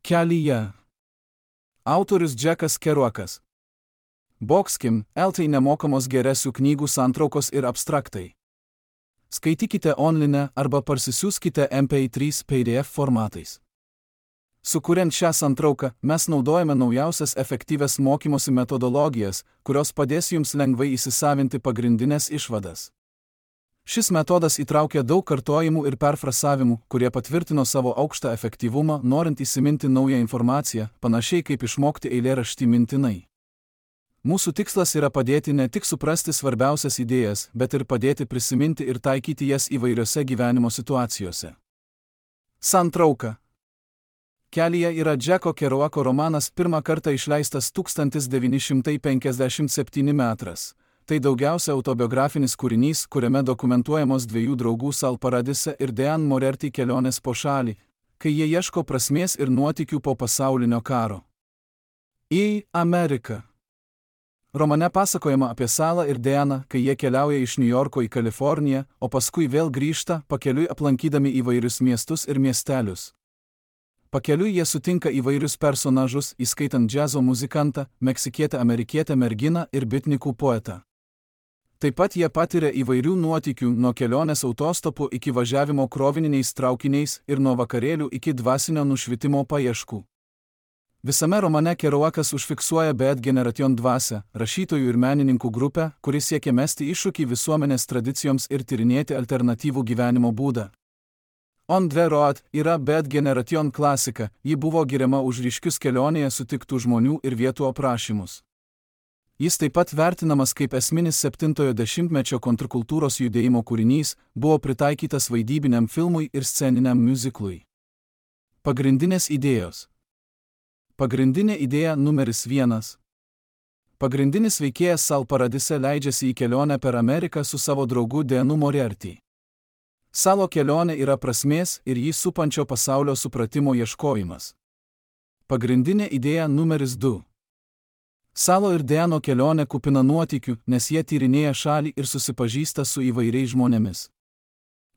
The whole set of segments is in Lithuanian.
Kelyje. Autorius Džekas Kerouakas. Boxkim, LT nemokamos geresių knygų santraukos ir abstraktai. Skaitykite online arba parsisiųskite MP3 PDF formatais. Sukuriant šią santrauką, mes naudojame naujausias efektyvias mokymosi metodologijas, kurios padės jums lengvai įsisavinti pagrindinės išvadas. Šis metodas įtraukia daug kartojimų ir perfrasavimų, kurie patvirtino savo aukštą efektyvumą, norint įsiminti naują informaciją, panašiai kaip išmokti eilėraštį mintinai. Mūsų tikslas yra padėti ne tik suprasti svarbiausias idėjas, bet ir padėti prisiminti ir taikyti jas įvairiose gyvenimo situacijose. Santrauka. Kelyje yra Džeko Kerouako romanas, pirmą kartą išleistas 1957 metais. Tai daugiausia autobiografinis kūrinys, kuriame dokumentuojamos dviejų draugų Sal Paradise ir Dean Moriarty kelionės po šalį, kai jie ieško prasmės ir nuotykių po pasaulinio karo. Į Ameriką. Romane pasakojama apie Salą ir Deaną, kai jie keliauja iš Niujorko į Kaliforniją, o paskui vėl grįžta, pakeliui aplankydami įvairius miestus ir miestelius. Pakeliui jie sutinka įvairius personažus, įskaitant džiazo muzikantą, meksikietę amerikietę merginą ir bitnikų poetą. Taip pat jie patiria įvairių nuotykių, nuo kelionės autostopu iki važiavimo krovininiais traukiniais ir nuo vakarėlių iki dvasinio nušvitimo paieškų. Visame romane Kerouakas užfiksuoja Bad Generation dvasią, rašytojų ir menininkų grupę, kuri siekia mesti iššūkį visuomenės tradicijoms ir tyrinėti alternatyvų gyvenimo būdą. On the Road yra Bad Generation klasika, ji buvo giriama už ryškius kelionėje sutiktų žmonių ir vietų aprašymus. Jis taip pat vertinamas kaip esminis 70-ojo dešimtmečio kontrkultūros judėjimo kūrinys, buvo pritaikytas vaidybiniam filmui ir sceniniam miuziklui. Pagrindinės idėjos. Pagrindinė idėja numeris 1. Pagrindinis veikėjas Sal Paradise leidžiasi į kelionę per Ameriką su savo draugu Deanu Moriarty. Salo kelionė yra prasmės ir jį supančio pasaulio supratimo ieškojimas. Pagrindinė idėja numeris 2. Salo ir Deano kelionė kupina nuotykių, nes jie tyrinėja šalį ir susipažįsta su įvairiais žmonėmis.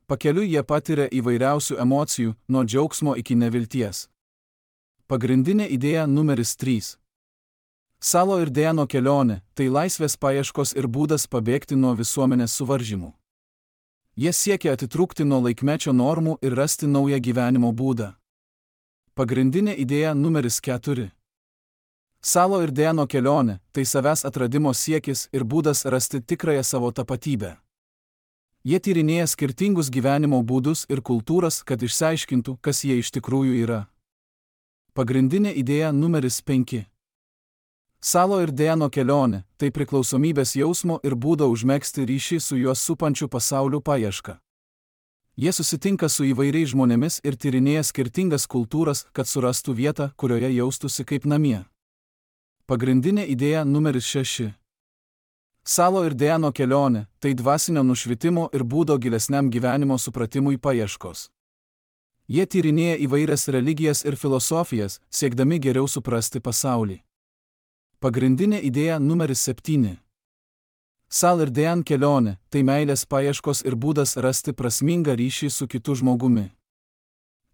Pakeliui jie patiria įvairiausių emocijų, nuo džiaugsmo iki nevilties. Pagrindinė idėja numeris 3. Salo ir Deano kelionė – tai laisvės paieškos ir būdas pabėgti nuo visuomenės suvaržymų. Jie siekia atitrūkti nuo laikmečio normų ir rasti naują gyvenimo būdą. Pagrindinė idėja numeris 4. Salo ir Deano kelionė – tai savęs atradimo siekis ir būdas rasti tikrąją savo tapatybę. Jie tyrinėja skirtingus gyvenimo būdus ir kultūras, kad išsiaiškintų, kas jie iš tikrųjų yra. Pagrindinė idėja numeris 5. Salo ir Deano kelionė – tai priklausomybės jausmo ir būdo užmegzti ryšį su juos supančiu pasauliu paieška. Jie susitinka su įvairiais žmonėmis ir tyrinėja skirtingas kultūras, kad surastų vietą, kurioje jaustųsi kaip namie. Pagrindinė idėja numeris 6. Salo ir Deano kelionė – tai dvasinio nušvitimo ir būdo gilesniam gyvenimo supratimui paieškos. Jie tyrinėja įvairias religijas ir filosofijas, siekdami geriau suprasti pasaulį. Pagrindinė idėja numeris 7. Sal ir Dean kelionė – tai meilės paieškos ir būdas rasti prasmingą ryšį su kitu žmogumi.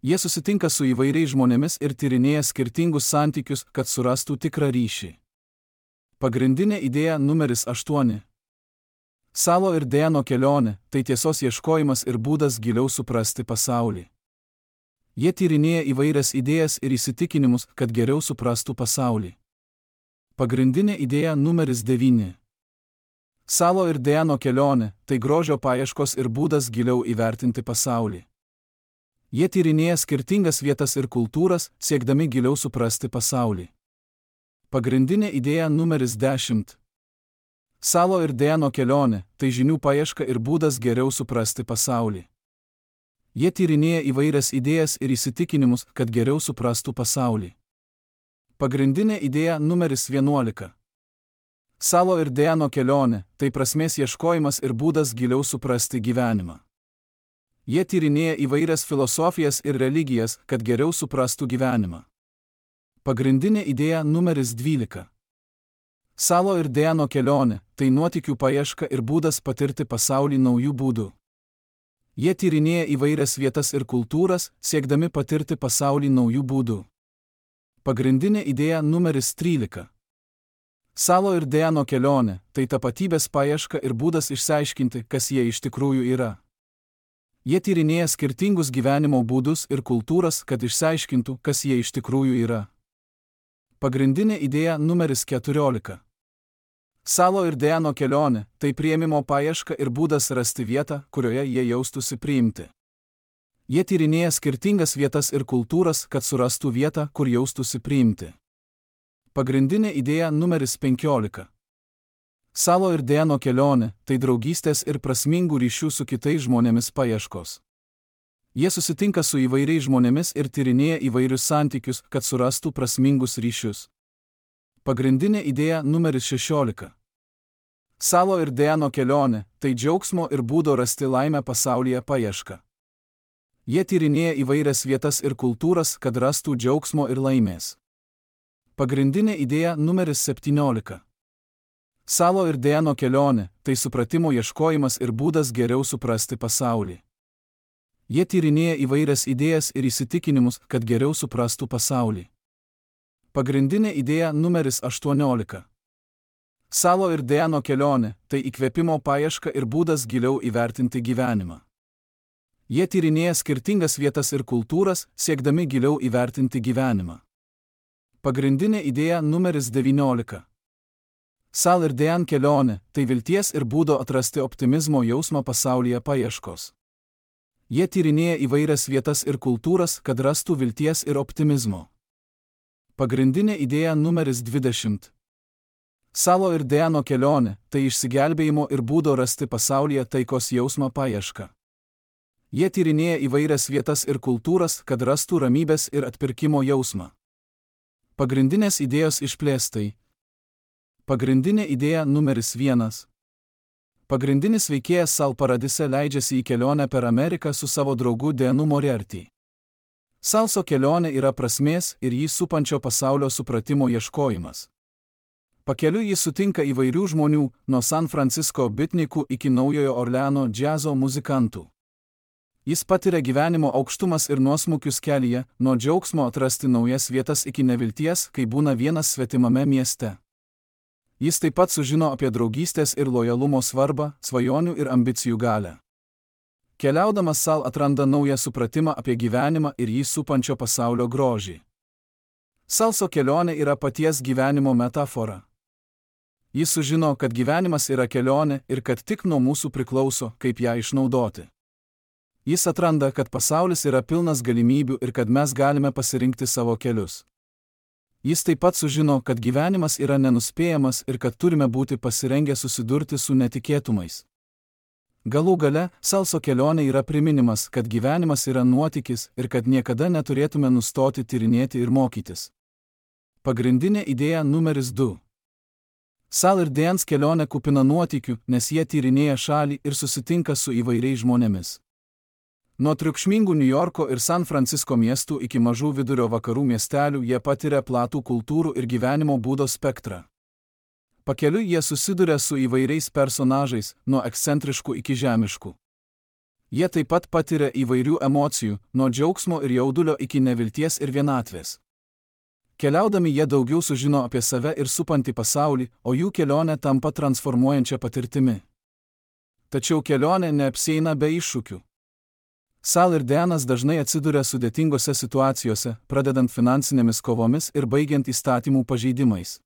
Jie susitinka su įvairiais žmonėmis ir tyrinėja skirtingus santykius, kad surastų tikrą ryšį. Pagrindinė idėja numeris 8. Salo ir Deano kelionė – tai tiesos ieškojimas ir būdas giliau suprasti pasaulį. Jie tyrinėja įvairias idėjas ir įsitikinimus, kad geriau suprastų pasaulį. Pagrindinė idėja numeris 9. Salo ir Deano kelionė – tai grožio paieškos ir būdas giliau įvertinti pasaulį. Jie tyrinėja skirtingas vietas ir kultūras, siekdami giliau suprasti pasaulį. Pagrindinė idėja numeris 10. Salo ir Deano kelionė – tai žinių paieška ir būdas geriau suprasti pasaulį. Jie tyrinėja įvairias idėjas ir įsitikinimus, kad geriau suprastų pasaulį. Pagrindinė idėja numeris 11. Salo ir Deano kelionė – tai prasmės ieškojimas ir būdas giliau suprasti gyvenimą. Jie tyrinėja įvairias filosofijas ir religijas, kad geriau suprastų gyvenimą. Pagrindinė idėja numeris 12. Salo ir Deano kelionė – tai nuotykių paieška ir būdas patirti pasaulį naujų būdų. Jie tyrinėja įvairias vietas ir kultūras, siekdami patirti pasaulį naujų būdų. Pagrindinė idėja numeris 13. Salo ir Deano kelionė – tai tapatybės paieška ir būdas išsiaiškinti, kas jie iš tikrųjų yra. Jie tyrinėja skirtingus gyvenimo būdus ir kultūras, kad išsiaiškintų, kas jie iš tikrųjų yra. Pagrindinė idėja numeris 14. Salo ir Deano kelionė – tai priėmimo paieška ir būdas rasti vietą, kurioje jie jaustųsi priimti. Jie tyrinėja skirtingas vietas ir kultūras, kad surastų vietą, kur jaustųsi priimti. Pagrindinė idėja numeris 15. Salo ir Deano kelionė – tai draugystės ir prasmingų ryšių su kitais žmonėmis paieškos. Jie susitinka su įvairiais žmonėmis ir tyrinėja įvairius santykius, kad surastų prasmingus ryšius. Pagrindinė idėja numeris 16. Salo ir Deano kelionė – tai džiaugsmo ir būdo rasti laimę pasaulyje paieška. Jie tyrinėja įvairias vietas ir kultūras, kad rastų džiaugsmo ir laimės. Pagrindinė idėja numeris 17. Salo ir Deano kelionė – tai supratimo ieškojimas ir būdas geriau suprasti pasaulį. Jie tyrinėja įvairias idėjas ir įsitikinimus, kad geriau suprastų pasaulį. Pagrindinė idėja numeris 18. Salo ir Deano kelionė – tai įkvėpimo paieška ir būdas giliau įvertinti gyvenimą. Jie tyrinėja skirtingas vietas ir kultūras, siekdami giliau įvertinti gyvenimą. Pagrindinė idėja numeris 19. Sal ir Dean kelionė – tai vilties ir būdo atrasti optimizmo jausmą pasaulyje paieškos. Jie tyrinėja įvairias vietas ir kultūras, kad rastų vilties ir optimizmo. Pagrindinė idėja numeris 20. Salo ir Deano kelionė – tai išsigelbėjimo ir būdo rasti pasaulyje taikos jausmą paieška. Jie tyrinėja įvairias vietas ir kultūras, kad rastų ramybės ir atpirkimo jausmą. Pagrindinės idėjos išplėstai. Pagrindinė idėja numeris 1. Pagrindinis veikėjas Sal Paradise leidžiasi į kelionę per Ameriką su savo draugu Deanu Moriarty. Salso kelionė yra prasmės ir jį supančio pasaulio supratimo ieškojimas. Pakeliui jis sutinka įvairių žmonių, nuo San Francisco bitnikų iki Naujojo Orleano džiazo muzikantų. Jis patiria gyvenimo aukštumas ir nuosmukius kelyje, nuo džiaugsmo atrasti naujas vietas iki nevilties, kai būna vienas svetimame mieste. Jis taip pat sužino apie draugystės ir lojalumo svarbą, svajonių ir ambicijų galią. Keliaudamas Sal atranda naują supratimą apie gyvenimą ir jį supančio pasaulio grožį. Salso kelionė yra paties gyvenimo metafora. Jis sužino, kad gyvenimas yra kelionė ir kad tik nuo mūsų priklauso, kaip ją išnaudoti. Jis atranda, kad pasaulis yra pilnas galimybių ir kad mes galime pasirinkti savo kelius. Jis taip pat sužino, kad gyvenimas yra nenuspėjamas ir kad turime būti pasirengę susidurti su netikėtumais. Galų gale, Salso kelionė yra priminimas, kad gyvenimas yra nuotykis ir kad niekada neturėtume nustoti tyrinėti ir mokytis. Pagrindinė idėja numeris 2. Sal ir Deans kelionė kupina nuotykių, nes jie tyrinėja šalį ir susitinka su įvairiais žmonėmis. Nuo triukšmingų Niujorko ir San Francisco miestų iki mažų vidurio vakarų miestelių jie patiria platų kultūrų ir gyvenimo būdo spektrą. Pakeliui jie susiduria su įvairiais personažais, nuo ekscentriškų iki žemiškų. Jie taip pat patiria įvairių emocijų, nuo džiaugsmo ir jaudulio iki nevilties ir vienatvės. Keliaudami jie daugiau sužino apie save ir supantį pasaulį, o jų kelionė tampa transformuojančia patirtimi. Tačiau kelionė neapsieina be iššūkių. Sal ir Deanas dažnai atsiduria sudėtingose situacijose, pradedant finansinėmis kovomis ir baigiant įstatymų pažeidimais.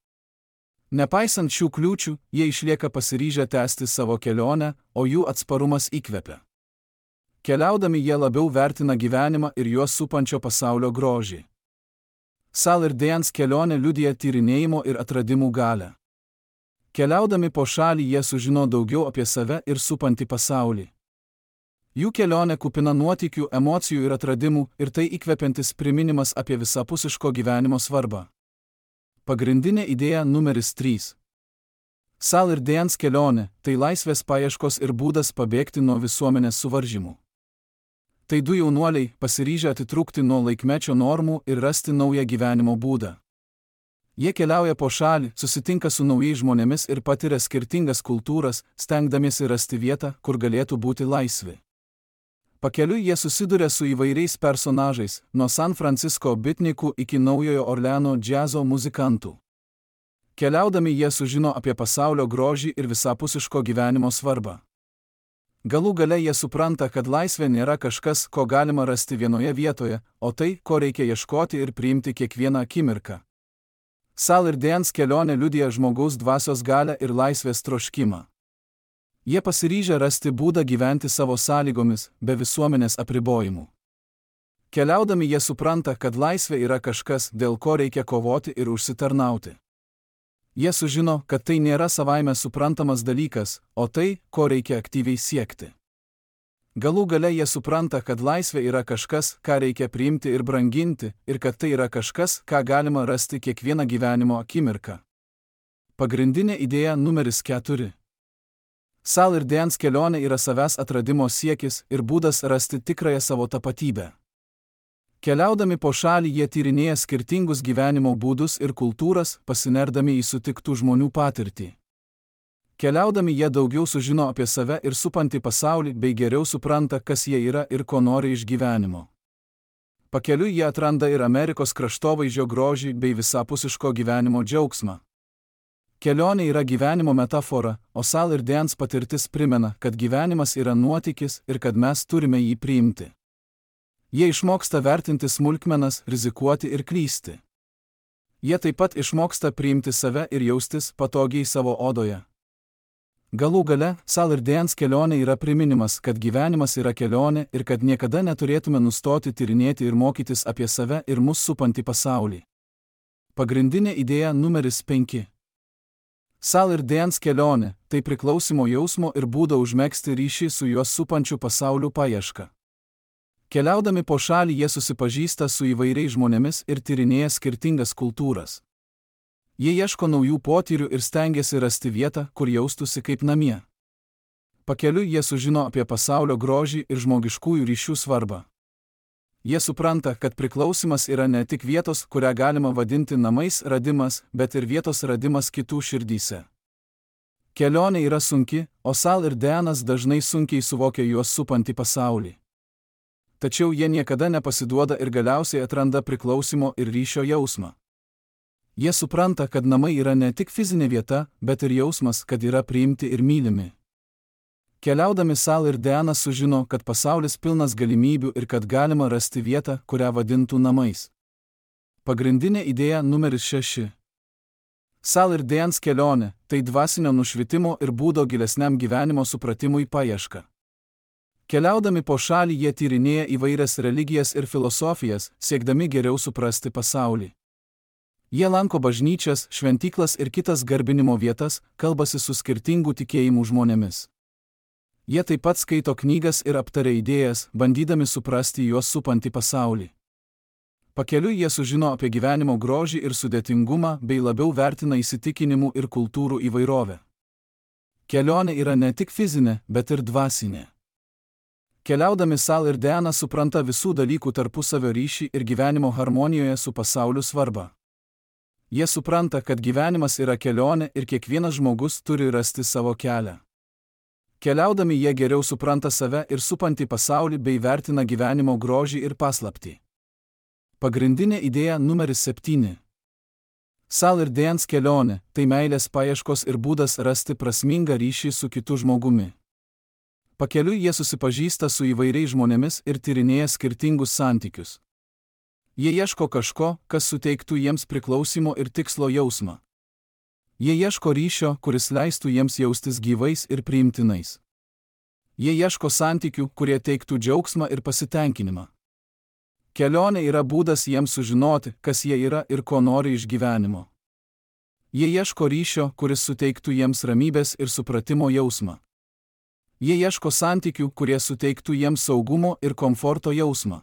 Nepaisant šių kliūčių, jie išlieka pasiryžę tęsti savo kelionę, o jų atsparumas įkvepia. Keliaudami jie labiau vertina gyvenimą ir juos supančio pasaulio grožį. Sal ir Deans kelionė liudija tyrinėjimo ir atradimų galią. Keliaudami po šalį jie sužino daugiau apie save ir supantį pasaulį. Jų kelionė kupina nuotykių, emocijų ir atradimų ir tai įkvepiantis priminimas apie visapusiško gyvenimo svarbą. Pagrindinė idėja numeris 3. Sal ir Deans kelionė – tai laisvės paieškos ir būdas pabėgti nuo visuomenės suvaržymų. Tai du jaunuoliai, pasiryžę atitrūkti nuo laikmečio normų ir rasti naują gyvenimo būdą. Jie keliauja po šalį, susitinka su naujais žmonėmis ir patiria skirtingas kultūras, stengdamiesi rasti vietą, kur galėtų būti laisvi. Pakeliui jie susiduria su įvairiais personažais, nuo San Francisco bitnikų iki Naujojo Orleano džiazo muzikantų. Keliaudami jie sužino apie pasaulio grožį ir visapusiško gyvenimo svarbą. Galų gale jie supranta, kad laisvė nėra kažkas, ko galima rasti vienoje vietoje, o tai, ko reikia ieškoti ir priimti kiekvieną akimirką. Sal ir Dance kelionė liudija žmogaus dvasios galią ir laisvės troškimą. Jie pasiryžę rasti būdą gyventi savo sąlygomis, be visuomenės apribojimų. Keliaudami jie supranta, kad laisvė yra kažkas, dėl ko reikia kovoti ir užsitarnauti. Jie sužino, kad tai nėra savaime suprantamas dalykas, o tai, ko reikia aktyviai siekti. Galų gale jie supranta, kad laisvė yra kažkas, ką reikia priimti ir branginti, ir kad tai yra kažkas, ką galima rasti kiekvieną gyvenimo akimirką. Pagrindinė idėja numeris 4. Sal ir Dance kelionė yra savęs atradimo siekis ir būdas rasti tikrąją savo tapatybę. Keliaudami po šalį jie tyrinėja skirtingus gyvenimo būdus ir kultūras, pasinerdami į sutiktų žmonių patirtį. Keliaudami jie daugiau sužino apie save ir supantį pasaulį, bei geriau supranta, kas jie yra ir ko nori iš gyvenimo. Pakeliui jie atranda ir Amerikos kraštovaizdžio grožį bei visapusiško gyvenimo džiaugsmą. Kelionė yra gyvenimo metafora, o Sal ir Dance patirtis primena, kad gyvenimas yra nuotykis ir kad mes turime jį priimti. Jie išmoksta vertinti smulkmenas, rizikuoti ir klysti. Jie taip pat išmoksta priimti save ir jaustis patogiai savo odoje. Galų gale, Sal ir Dance kelionė yra priminimas, kad gyvenimas yra kelionė ir kad niekada neturėtume nustoti tyrinėti ir mokytis apie save ir mus supantį pasaulį. Pagrindinė idėja numeris 5. Sal ir Dance kelionė – tai priklausimo jausmo ir būdo užmegzti ryšį su juos supančiu pasauliu paieška. Keliaudami po šalį jie susipažįsta su įvairiais žmonėmis ir tyrinėja skirtingas kultūras. Jie ieško naujų potyrių ir stengiasi rasti vietą, kur jaustųsi kaip namie. Pakeliui jie sužino apie pasaulio grožį ir žmogiškųjų ryšių svarbą. Jie supranta, kad priklausimas yra ne tik vietos, kurią galima vadinti namais radimas, bet ir vietos radimas kitų širdyse. Kelionė yra sunki, o Sal ir Dance dažnai sunkiai suvokia juos supantį pasaulį. Tačiau jie niekada nepasiduoda ir galiausiai atranda priklausimo ir ryšio jausmą. Jie supranta, kad namai yra ne tik fizinė vieta, bet ir jausmas, kad yra priimti ir mylimi. Keliaudami Sal ir Dance sužino, kad pasaulis pilnas galimybių ir kad galima rasti vietą, kurią vadintų namais. Pagrindinė idėja numeris 6. Sal ir Dance kelionė – tai dvasinio nušvitimo ir būdo gilesniam gyvenimo supratimui paieška. Keliaudami po šalį jie tyrinėja įvairias religijas ir filosofijas, siekdami geriau suprasti pasaulį. Jie lanko bažnyčias, šventyklas ir kitas garbinimo vietas, kalbasi su skirtingų tikėjimų žmonėmis. Jie taip pat skaito knygas ir aptaria idėjas, bandydami suprasti juos supantį pasaulį. Pakeliui jie sužino apie gyvenimo grožį ir sudėtingumą, bei labiau vertina įsitikinimų ir kultūrų įvairovę. Kelionė yra ne tik fizinė, bet ir dvasinė. Keliaudami Sal ir Dance supranta visų dalykų tarpusavio ryšį ir gyvenimo harmonijoje su pasauliu svarbą. Jie supranta, kad gyvenimas yra kelionė ir kiekvienas žmogus turi rasti savo kelią. Keliaudami jie geriau supranta save ir supantį pasaulį bei vertina gyvenimo grožį ir paslaptį. Pagrindinė idėja numeris 7. Sal ir Dance kelionė – tai meilės paieškos ir būdas rasti prasmingą ryšį su kitu žmogumi. Pakeliui jie susipažįsta su įvairiais žmonėmis ir tyrinėja skirtingus santykius. Jie ieško kažko, kas suteiktų jiems priklausimo ir tikslo jausmą. Jie ieško ryšio, kuris leistų jiems jaustis gyvais ir priimtinais. Jie ieško santykių, kurie teiktų džiaugsmą ir pasitenkinimą. Kelionė yra būdas jiems sužinoti, kas jie yra ir ko nori iš gyvenimo. Jie ieško ryšio, kuris suteiktų jiems ramybės ir supratimo jausmą. Jie ieško santykių, kurie suteiktų jiems saugumo ir komforto jausmą.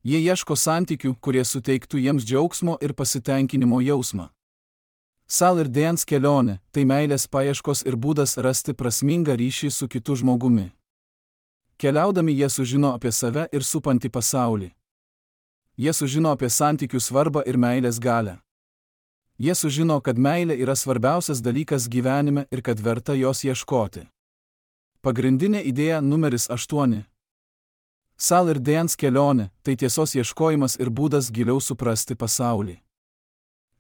Jie ieško santykių, kurie suteiktų jiems džiaugsmo ir pasitenkinimo jausmą. Sal ir Dance kelionė – tai meilės paieškos ir būdas rasti prasmingą ryšį su kitu žmogumi. Keliaudami jie sužino apie save ir supantį pasaulį. Jie sužino apie santykių svarbą ir meilės galią. Jie sužino, kad meilė yra svarbiausias dalykas gyvenime ir kad verta jos ieškoti. Pagrindinė idėja numeris 8. Sal ir Dance kelionė – tai tiesos ieškojimas ir būdas giliau suprasti pasaulį.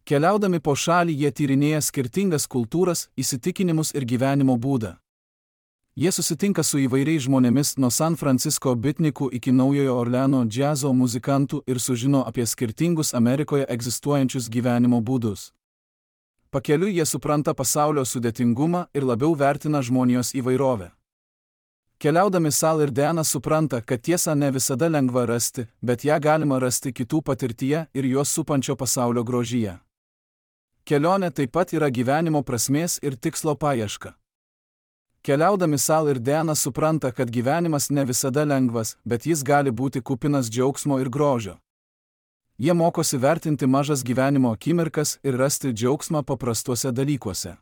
Keliaudami po šalį jie tyrinėja skirtingas kultūras, įsitikinimus ir gyvenimo būdą. Jie susitinka su įvairiais žmonėmis nuo San Francisco bitnikų iki Naujojo Orleano džiazo muzikantų ir sužino apie skirtingus Amerikoje egzistuojančius gyvenimo būdus. Pakeliui jie supranta pasaulio sudėtingumą ir labiau vertina žmonijos įvairovę. Keliaudami Sal ir Deanas supranta, kad tiesą ne visada lengva rasti, bet ją galima rasti kitų patirtyje ir juos supančio pasaulio grožyje. Kelionė taip pat yra gyvenimo prasmės ir tikslo paieška. Keliaudami Sal ir Deanas supranta, kad gyvenimas ne visada lengvas, bet jis gali būti kupinas džiaugsmo ir grožio. Jie mokosi vertinti mažas gyvenimo akimirkas ir rasti džiaugsmą paprastuose dalykuose.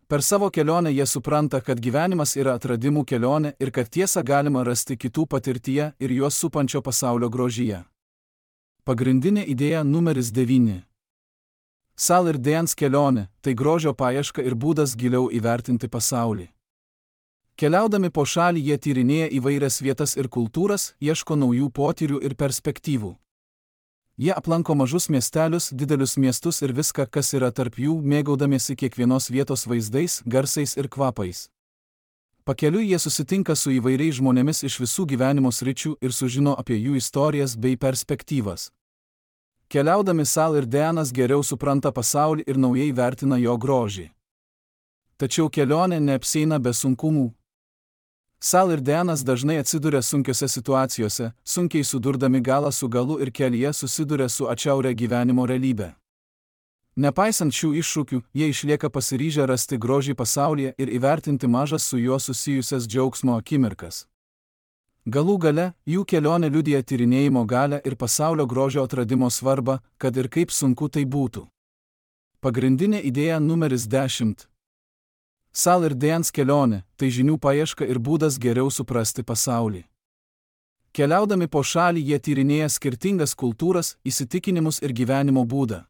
Per savo kelionę jie supranta, kad gyvenimas yra atradimų kelionė ir kad tiesą galima rasti kitų patirtyje ir juos supančio pasaulio grožyje. Pagrindinė idėja numeris 9. Sal ir Deanas kelionė – tai grožio paieška ir būdas giliau įvertinti pasaulį. Keliaudami po šalį jie tyrinėja įvairias vietas ir kultūras, ieško naujų potyrių ir perspektyvų. Jie aplanko mažus miestelius, didelius miestus ir viską, kas yra tarp jų, mėgaudamiesi kiekvienos vietos vaizdais, garsais ir kvapais. Pakeliui jie susitinka su įvairiais žmonėmis iš visų gyvenimo sričių ir sužino apie jų istorijas bei perspektyvas. Keliaudami Sal ir Deanas geriau supranta pasaulį ir naujai vertina jo grožį. Tačiau kelionė neapsieina be sunkumų. Sal ir Deanas dažnai atsiduria sunkiose situacijose, sunkiai sudurdami galą su galu ir kelyje susiduria su atšiauria gyvenimo realybė. Nepaisant šių iššūkių, jie išlieka pasiryžę rasti grožį pasaulyje ir įvertinti mažas su juo susijusias džiaugsmo akimirkas. Galų gale, jų kelionė liudija tyrinėjimo galią ir pasaulio grožio atradimo svarbą, kad ir kaip sunku tai būtų. Pagrindinė idėja numeris 10. Sal ir Deanas kelionė – tai žinių paieška ir būdas geriau suprasti pasaulį. Keliaudami po šalį jie tyrinėja skirtingas kultūras, įsitikinimus ir gyvenimo būdą.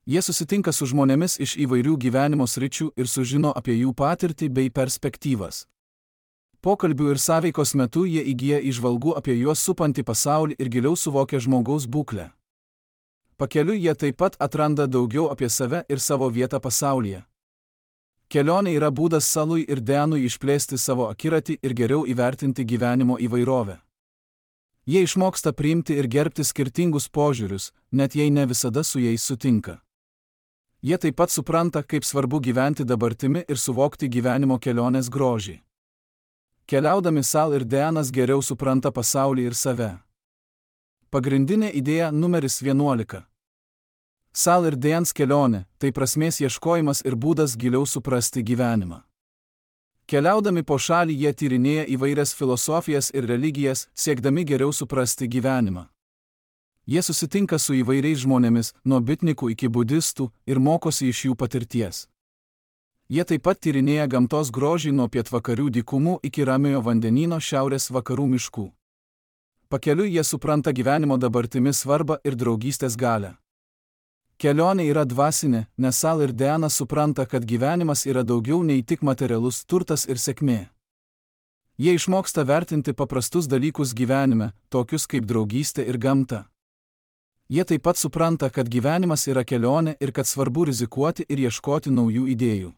Jie susitinka su žmonėmis iš įvairių gyvenimo sričių ir sužino apie jų patirtį bei perspektyvas. Pokalbių ir sąveikos metu jie įgyja įžvalgų apie juos supantį pasaulį ir giliau suvokia žmogaus būklę. Pakeliui jie taip pat atranda daugiau apie save ir savo vietą pasaulyje. Kelionė yra būdas Salui ir Deanui išplėsti savo akiratį ir geriau įvertinti gyvenimo įvairovę. Jie išmoksta priimti ir gerbti skirtingus požiūrius, net jei ne visada su jais sutinka. Jie taip pat supranta, kaip svarbu gyventi dabartimi ir suvokti gyvenimo kelionės grožį. Keliaudami Sal ir Deanas geriau supranta pasaulį ir save. Pagrindinė idėja numeris 11. Sal ir Deanas kelionė – tai prasmės ieškojimas ir būdas giliau suprasti gyvenimą. Keliaudami po šalį jie tyrinėja įvairias filosofijas ir religijas, siekdami geriau suprasti gyvenimą. Jie susitinka su įvairiais žmonėmis, nuo bitnikų iki budistų, ir mokosi iš jų patirties. Jie taip pat tyrinėja gamtos grožį nuo pietvakarių dykumų iki Ramiojo vandenyno šiaurės vakarų miškų. Pakeliui jie supranta gyvenimo dabartimi svarbą ir draugystės galią. Kelionė yra dvasinė, nes Sal ir Deanas supranta, kad gyvenimas yra daugiau nei tik materialus turtas ir sėkmė. Jie išmoksta vertinti paprastus dalykus gyvenime, tokius kaip draugystė ir gamta. Jie taip pat supranta, kad gyvenimas yra kelionė ir kad svarbu rizikuoti ir ieškoti naujų idėjų.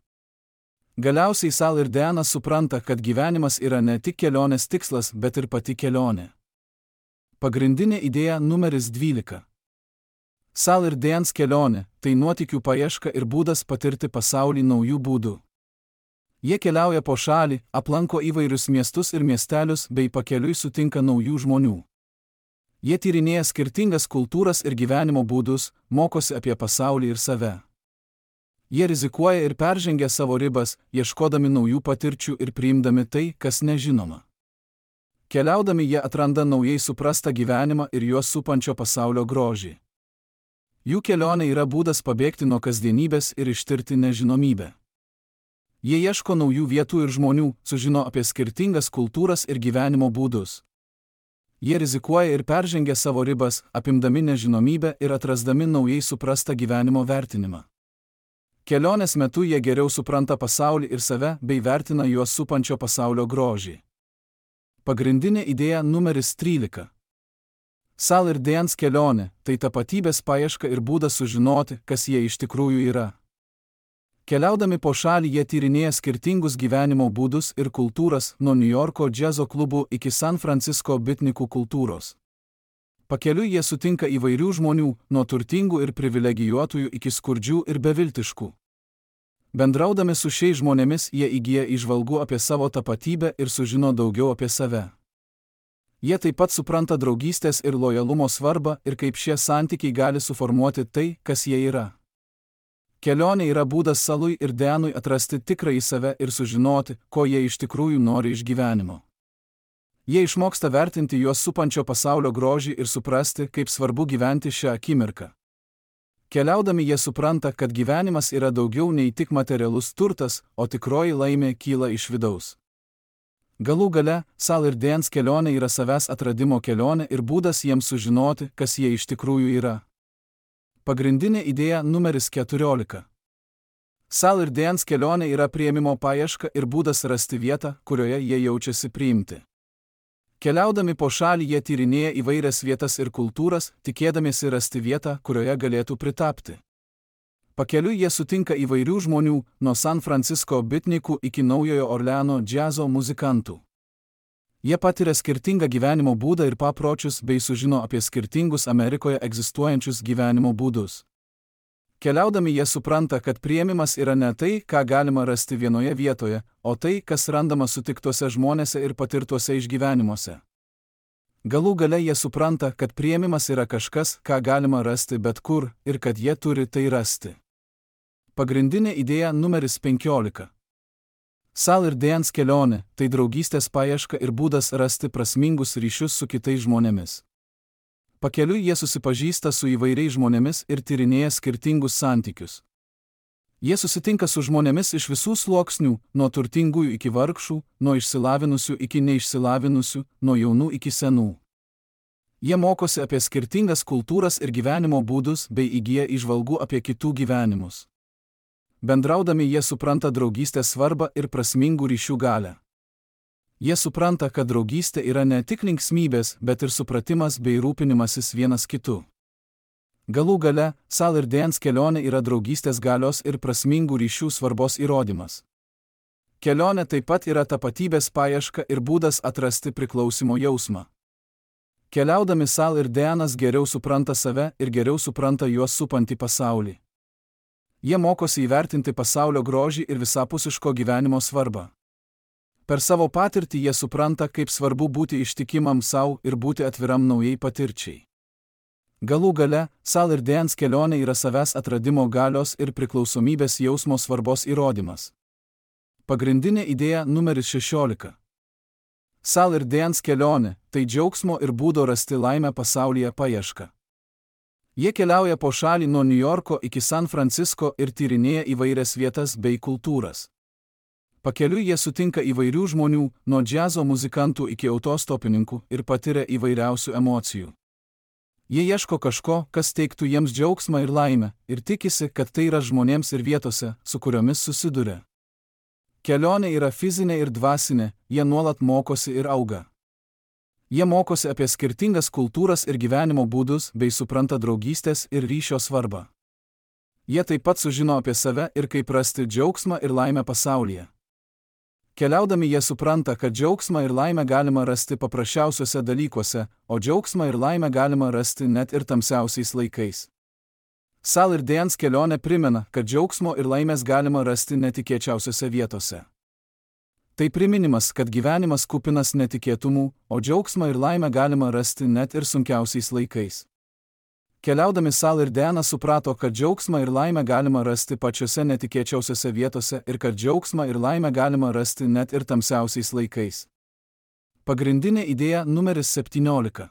Galiausiai Sal ir Deanas supranta, kad gyvenimas yra ne tik kelionės tikslas, bet ir pati kelionė. Pagrindinė idėja numeris 12. Sal ir Deanas kelionė – tai nuotykių paieška ir būdas patirti pasaulį naujų būdų. Jie keliauja po šalį, aplanko įvairius miestus ir miestelius bei pakeliui sutinka naujų žmonių. Jie tyrinėja skirtingas kultūras ir gyvenimo būdus, mokosi apie pasaulį ir save. Jie rizikuoja ir peržengia savo ribas, ieškodami naujų patirčių ir priimdami tai, kas nežinoma. Keliaudami jie atranda naujai suprastą gyvenimą ir juos supančio pasaulio grožį. Jų kelionė yra būdas pabėgti nuo kasdienybės ir ištirti nežinomybę. Jie ieško naujų vietų ir žmonių, sužino apie skirtingas kultūras ir gyvenimo būdus. Jie rizikuoja ir peržengia savo ribas, apimdami nežinomybę ir atrasdami naujai suprastą gyvenimo vertinimą. Kelionės metu jie geriau supranta pasaulį ir save bei vertina juos supančio pasaulio grožį. Pagrindinė idėja numeris 13. Sal ir Deans kelionė – tai tapatybės paieška ir būdas sužinoti, kas jie iš tikrųjų yra. Keliaudami po šalį jie tyrinėja skirtingus gyvenimo būdus ir kultūras nuo Niujorko džiazo klubų iki San Francisco bitnikų kultūros. Pakeliui jie sutinka įvairių žmonių, nuo turtingų ir privilegijuotųjų iki skurdžių ir beviltiškų. Bendraudami su šiais žmonėmis jie įgyja įžvalgų apie savo tapatybę ir sužino daugiau apie save. Jie taip pat supranta draugystės ir lojalumo svarbą ir kaip šie santykiai gali suformuoti tai, kas jie yra. Kelionė yra būdas Salui ir Deanui atrasti tikrąjį save ir sužinoti, ko jie iš tikrųjų nori iš gyvenimo. Jie išmoksta vertinti juos supančio pasaulio grožį ir suprasti, kaip svarbu gyventi šią akimirką. Keliaudami jie supranta, kad gyvenimas yra daugiau nei tik materialus turtas, o tikroji laimė kyla iš vidaus. Galų gale, Sal ir Deans kelionė yra savęs atradimo kelionė ir būdas jiems sužinoti, kas jie iš tikrųjų yra. Pagrindinė idėja numeris 14. Sal ir Deans kelionė yra priėmimo paieška ir būdas rasti vietą, kurioje jie jaučiasi priimti. Keliaudami po šalį jie tyrinėja įvairias vietas ir kultūras, tikėdamiesi rasti vietą, kurioje galėtų pritapti. Pakeliui jie sutinka įvairių žmonių, nuo San Francisco bitnikų iki Naujojo Orleano džiazo muzikantų. Jie patiria skirtingą gyvenimo būdą ir papročius bei sužino apie skirtingus Amerikoje egzistuojančius gyvenimo būdus. Keliaudami jie supranta, kad priėmimas yra ne tai, ką galima rasti vienoje vietoje, o tai, kas randama sutiktuose žmonėse ir patirtuose išgyvenimuose. Galų gale jie supranta, kad priėmimas yra kažkas, ką galima rasti bet kur, ir kad jie turi tai rasti. Pagrindinė idėja numeris 15. Sal ir Deans kelionė – tai draugystės paieška ir būdas rasti prasmingus ryšius su kitais žmonėmis. Pakeliui jie susipažįsta su įvairiais žmonėmis ir tyrinėja skirtingus santykius. Jie susitinka su žmonėmis iš visų sluoksnių, nuo turtingųjų iki vargšų, nuo išsilavinusių iki neišsilavinusių, nuo jaunų iki senų. Jie mokosi apie skirtingas kultūras ir gyvenimo būdus bei įgyja įžvalgų apie kitų gyvenimus. Bendraudami jie supranta draugystės svarbą ir prasmingų ryšių galią. Jie supranta, kad draugystė yra ne tik linksmybės, bet ir supratimas bei rūpinimasis vienas kitu. Galų gale, Sal ir Deans kelionė yra draugystės galios ir prasmingų ryšių svarbos įrodymas. Kelionė taip pat yra tapatybės paieška ir būdas atrasti priklausimo jausmą. Keliaudami Sal ir Deanas geriau supranta save ir geriau supranta juos supantį pasaulį. Jie mokosi įvertinti pasaulio grožį ir visapusiško gyvenimo svarbą. Per savo patirtį jie supranta, kaip svarbu būti ištikimam sau ir būti atviram naujai patirčiai. Galų gale, Sal ir Deans kelionė yra savęs atradimo galios ir priklausomybės jausmo svarbos įrodymas. Pagrindinė idėja numeris 16. Sal ir Deans kelionė – tai džiaugsmo ir būdo rasti laimę pasaulyje paieška. Jie keliauja po šalį nuo Niujorko iki San Francisco ir tyrinėja įvairias vietas bei kultūras. Pakeliui jie sutinka įvairių žmonių, nuo džiazo muzikantų iki autostopininkų ir patiria įvairiausių emocijų. Jie ieško kažko, kas teiktų jiems džiaugsmą ir laimę, ir tikisi, kad tai yra žmonėms ir vietose, su kuriomis susiduria. Kelionė yra fizinė ir dvasinė, jie nuolat mokosi ir auga. Jie mokosi apie skirtingas kultūras ir gyvenimo būdus bei supranta draugystės ir ryšio svarbą. Jie taip pat sužino apie save ir kaip rasti džiaugsmą ir laimę pasaulyje. Keliaudami jie supranta, kad džiaugsmą ir laimę galima rasti paprasčiausiuose dalykuose, o džiaugsmą ir laimę galima rasti net ir tamsiausiais laikais. Sal ir Deans kelionė primena, kad džiaugsmo ir laimės galima rasti netikėčiausiose vietose. Tai priminimas, kad gyvenimas kupinas netikėtumų, o džiaugsmą ir laimę galima rasti net ir sunkiausiais laikais. Keliaudami Sal ir Deanas suprato, kad džiaugsmą ir laimę galima rasti pačiose netikėčiausiose vietose ir kad džiaugsmą ir laimę galima rasti net ir tamsiausiais laikais. Pagrindinė idėja numeris 17.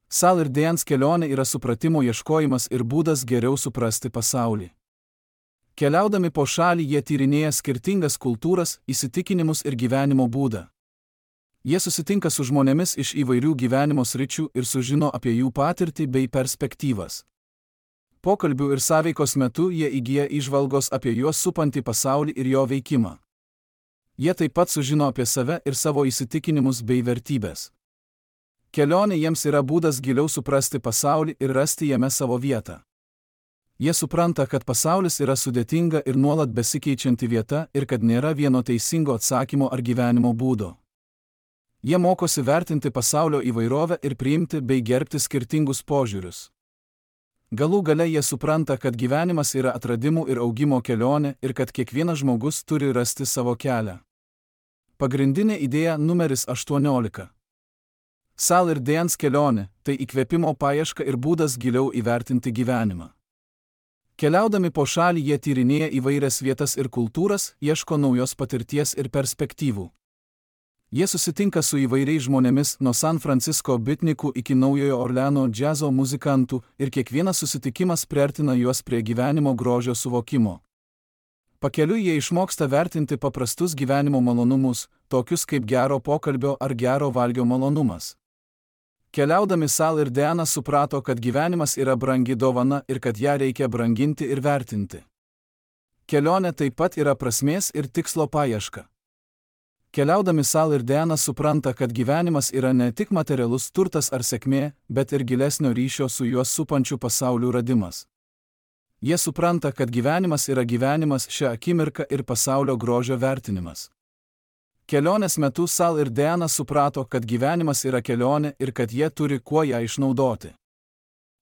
Sal ir Deans kelionė yra supratimo ieškojimas ir būdas geriau suprasti pasaulį. Keliaudami po šalį jie tyrinėja skirtingas kultūras, įsitikinimus ir gyvenimo būdą. Jie susitinka su žmonėmis iš įvairių gyvenimo sričių ir sužino apie jų patirtį bei perspektyvas. Pokalbių ir sąveikos metu jie įgyja įžvalgos apie juos supantį pasaulį ir jo veikimą. Jie taip pat sužino apie save ir savo įsitikinimus bei vertybės. Kelionė jiems yra būdas giliau suprasti pasaulį ir rasti jame savo vietą. Jie supranta, kad pasaulis yra sudėtinga ir nuolat besikeičianti vieta ir kad nėra vieno teisingo atsakymo ar gyvenimo būdo. Jie mokosi vertinti pasaulio įvairovę ir priimti bei gerbti skirtingus požiūrius. Galų gale jie supranta, kad gyvenimas yra atradimų ir augimo kelionė ir kad kiekvienas žmogus turi rasti savo kelią. Pagrindinė idėja numeris 18. Sal ir Deans kelionė – tai įkvėpimo paieška ir būdas giliau įvertinti gyvenimą. Keliaudami po šalį jie tyrinėja įvairias vietas ir kultūras, ieško naujos patirties ir perspektyvų. Jie susitinka su įvairiais žmonėmis nuo San Francisco bitnikų iki Naujojo Orleano džiazo muzikantų ir kiekvienas susitikimas priartina juos prie gyvenimo grožio suvokimo. Pakeliui jie išmoksta vertinti paprastus gyvenimo malonumus, tokius kaip gero pokalbio ar gero valgio malonumas. Keliaudami Sal ir Deanas suprato, kad gyvenimas yra brangi dovana ir kad ją reikia branginti ir vertinti. Kelionė taip pat yra prasmės ir tikslo paieška. Keliaudami Sal ir Deanas supranta, kad gyvenimas yra ne tik materialus turtas ar sėkmė, bet ir gilesnio ryšio su juos supančiu pasauliu radimas. Jie supranta, kad gyvenimas yra gyvenimas šią akimirką ir pasaulio grožio vertinimas. Kelionės metu Sal ir Deanas suprato, kad gyvenimas yra kelionė ir kad jie turi kuo ją išnaudoti.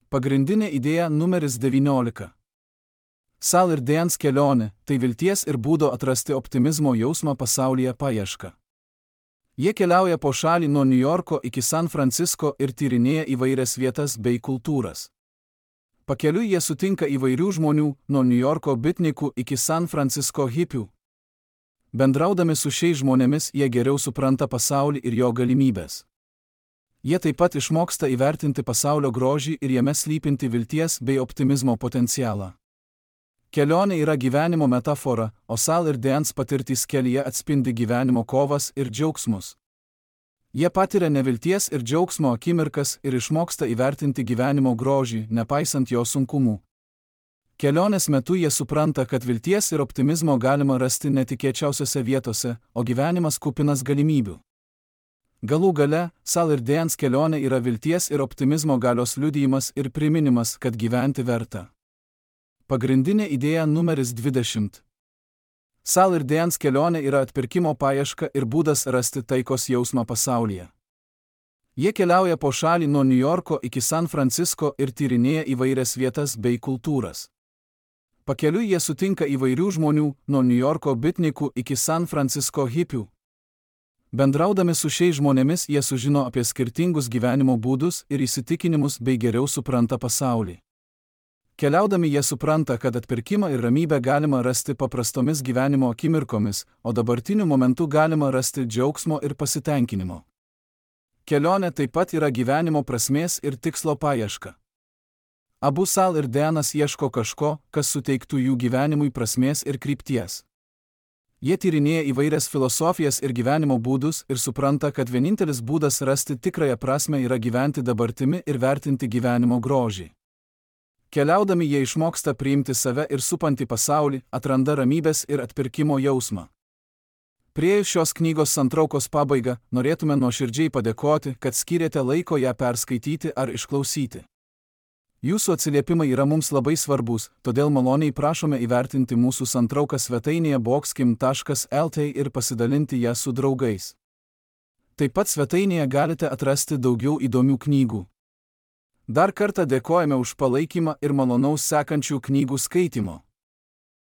Pagrindinė idėja numeris 19. Sal ir Deans kelionė – tai vilties ir būdo atrasti optimizmo jausmą pasaulyje paieška. Jie keliauja po šalį nuo Niujorko iki San Francisco ir tyrinėja įvairias vietas bei kultūras. Pakeliui jie sutinka įvairių žmonių, nuo Niujorko bitnikų iki San Francisco hipių. Bendraudami su šiais žmonėmis jie geriau supranta pasaulį ir jo galimybės. Jie taip pat išmoksta įvertinti pasaulio grožį ir jame slypinti vilties bei optimizmo potencialą. Kelionė yra gyvenimo metafora, o Sal ir Deans patirtys kelyje atspindi gyvenimo kovas ir džiaugsmus. Jie patiria nevilties ir džiaugsmo akimirkas ir išmoksta įvertinti gyvenimo grožį, nepaisant jo sunkumų. Kelionės metu jie supranta, kad vilties ir optimizmo galima rasti netikėčiausiose vietose, o gyvenimas kupinas galimybių. Galų gale, Sal ir Deans kelionė yra vilties ir optimizmo galios liudijimas ir priminimas, kad gyventi verta. Pagrindinė idėja numeris 20. Sal ir Deans kelionė yra atpirkimo paieška ir būdas rasti taikos jausmą pasaulyje. Jie keliauja po šalį nuo Niujorko iki San Francisco ir tyrinėja įvairias vietas bei kultūras. Pakeliui jie sutinka įvairių žmonių, nuo Niujorko bitnikų iki San Francisco hipių. Bendraudami su šiais žmonėmis jie sužino apie skirtingus gyvenimo būdus ir įsitikinimus bei geriau supranta pasaulį. Keliaudami jie supranta, kad atpirkimą ir ramybę galima rasti paprastomis gyvenimo akimirkomis, o dabartiniu momentu galima rasti džiaugsmo ir pasitenkinimo. Kelionė taip pat yra gyvenimo prasmės ir tikslo paieška. Abu Sal ir Deanas ieško kažko, kas suteiktų jų gyvenimui prasmės ir krypties. Jie tyrinėja įvairias filosofijas ir gyvenimo būdus ir supranta, kad vienintelis būdas rasti tikrąją prasmę yra gyventi dabartimi ir vertinti gyvenimo grožį. Keliaudami jie išmoksta priimti save ir supantį pasaulį, atranda ramybės ir atpirkimo jausmą. Priėjus šios knygos santraukos pabaigą, norėtume nuoširdžiai padėkoti, kad skyrėte laiko ją perskaityti ar išklausyti. Jūsų atsiliepimai yra mums labai svarbus, todėl maloniai prašome įvertinti mūsų santrauką svetainėje boxkim.lt ir pasidalinti ją su draugais. Taip pat svetainėje galite atrasti daugiau įdomių knygų. Dar kartą dėkojame už palaikymą ir malonaus sekančių knygų skaitimo.